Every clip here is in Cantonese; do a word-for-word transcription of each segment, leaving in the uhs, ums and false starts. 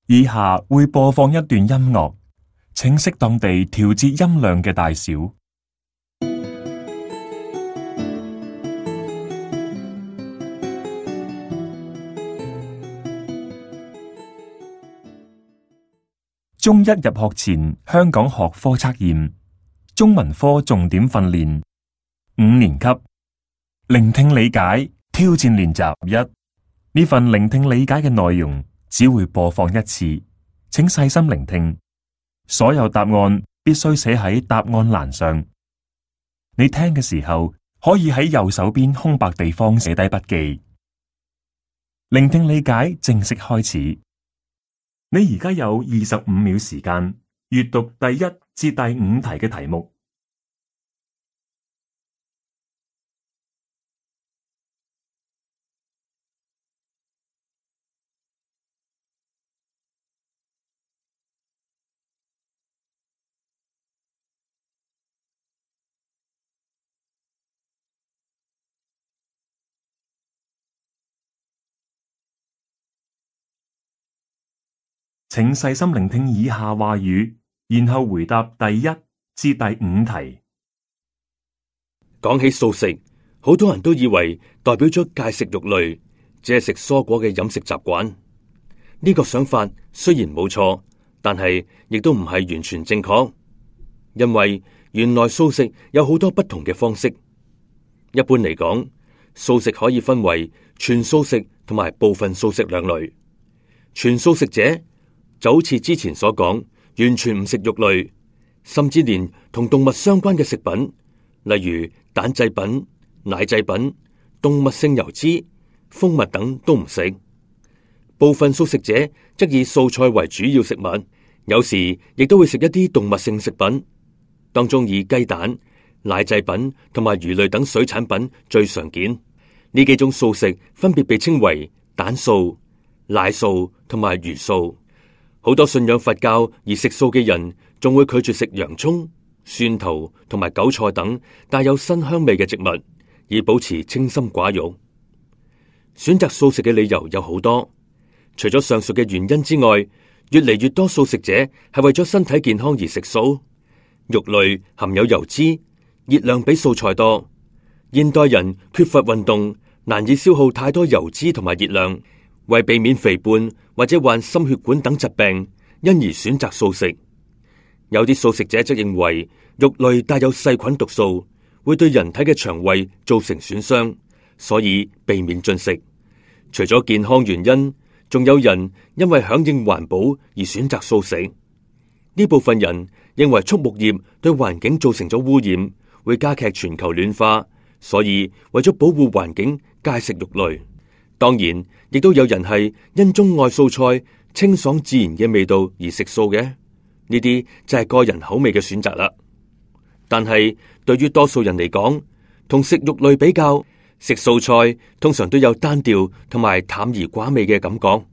以下會播放一段音樂，請適當地調節音量嘅大小。中一入學前香港學科測驗，中文科重點訓練，五年級聆聽理解挑戰練習一。呢份聆聽理解嘅內容只會播放一次，請細心聆聽。所有答案必須寫喺答案欄上。你聽嘅時候可以喺右手邊空白地方寫低筆記。聆聽理解正式開始。你而家有二十五秒時間閱讀第一至第五題嘅題目。請細心聆聽以下話語，然後回答第一至第五題。講起素食，好多人都以為代表咗戒食肉類，只係食蔬果嘅飲食習慣。呢個想法雖然冇錯，但係亦都唔係完全正確，因為原來素食有好多不同嘅方式。一般嚟講，素食可以分為全素食同埋部分素食兩類。全素食者就好似之前所講，完全唔食肉類，甚至連同動物相關嘅食品，例如蛋製品、奶製品、動物性油脂、蜂蜜等都唔食。部分素食者則以素菜為主要食物，有時亦都會食一啲動物性食品，當中以雞蛋、奶製品同埋魚類等水產品最常見。呢幾種素食分別被稱為蛋素、奶素同埋魚素。好多信仰佛教而食素嘅人，仲會拒絕食洋蔥、蒜頭同埋韭菜等帶有辛香味嘅植物，以保持清心寡欲。選擇素食嘅理由有好多，除咗上述嘅原因之外，越嚟越多素食者係為咗身體健康而食素。肉類含有油脂，熱量比素菜多。現代人缺乏運動，難以消耗太多油脂同埋熱量。為避免肥胖或者患心血管等疾病，因而選擇素食。有啲素食者則認為肉類帶有細菌毒素，會對人體嘅腸胃造成損傷，所以避免進食。除咗健康原因，仲有人因為響應環保而選擇素食。呢部分人認為畜牧業對環境造成咗污染，會加劇全球暖化，所以為咗保護環境，戒食肉類。當然，亦都有人係因鍾愛素菜清爽自然嘅味道而食素嘅，呢啲就係個人口味嘅選擇啦。但係對於多數人嚟講，同食肉類比較，食素菜通常都有單調同埋淡而寡味嘅感覺。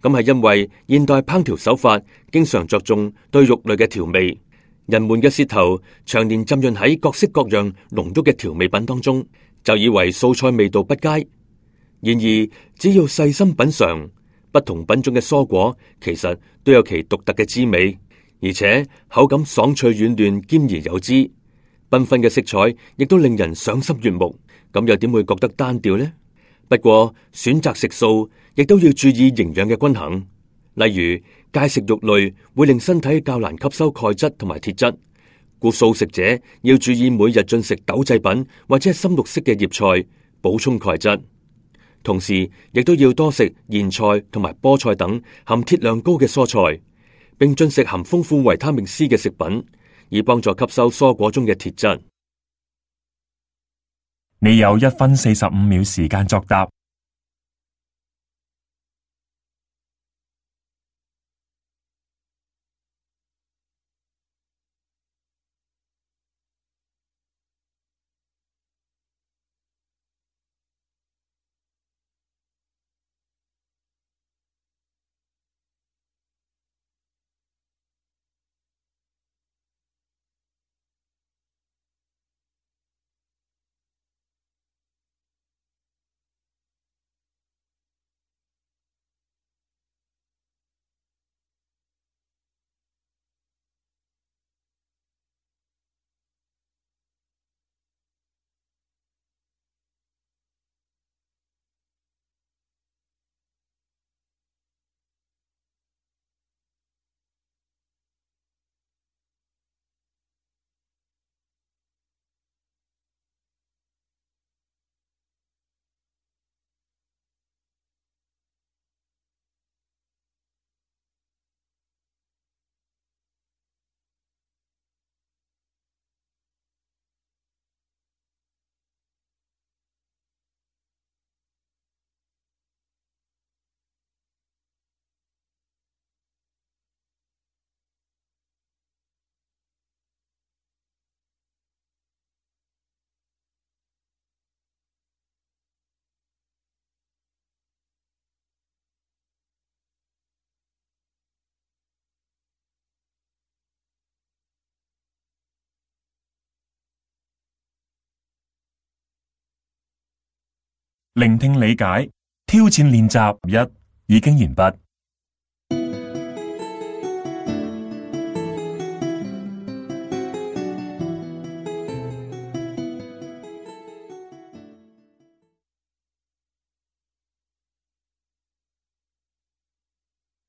咁係因為現代烹調手法經常着重對肉類嘅調味，人們嘅舌頭長年浸潤喺各式各樣濃郁嘅調味品當中，就以為素菜味道不佳。然而，只要細心品嘗，不同品種嘅蔬果其實都有其獨特嘅滋味，而且口感爽脆軟嫩，兼而有滋，繽紛嘅色彩亦都令人賞心悅目。咁又點會覺得單調呢？不過選擇食素亦都要注意營養嘅均衡，例如戒食肉類會令身體較難吸收鈣質同埋鐵質，故素食者要注意每日進食豆製品或者係深綠色嘅葉菜，補充鈣質。同時，亦都要多食燕菜同埋菠菜等含鐵量高嘅蔬菜，並進食含豐富維他命 C 嘅食品，以幫助吸收蔬果中嘅鐵質。你有一分四十五秒時間作答。聆聽理解挑戰練習一已經完畢。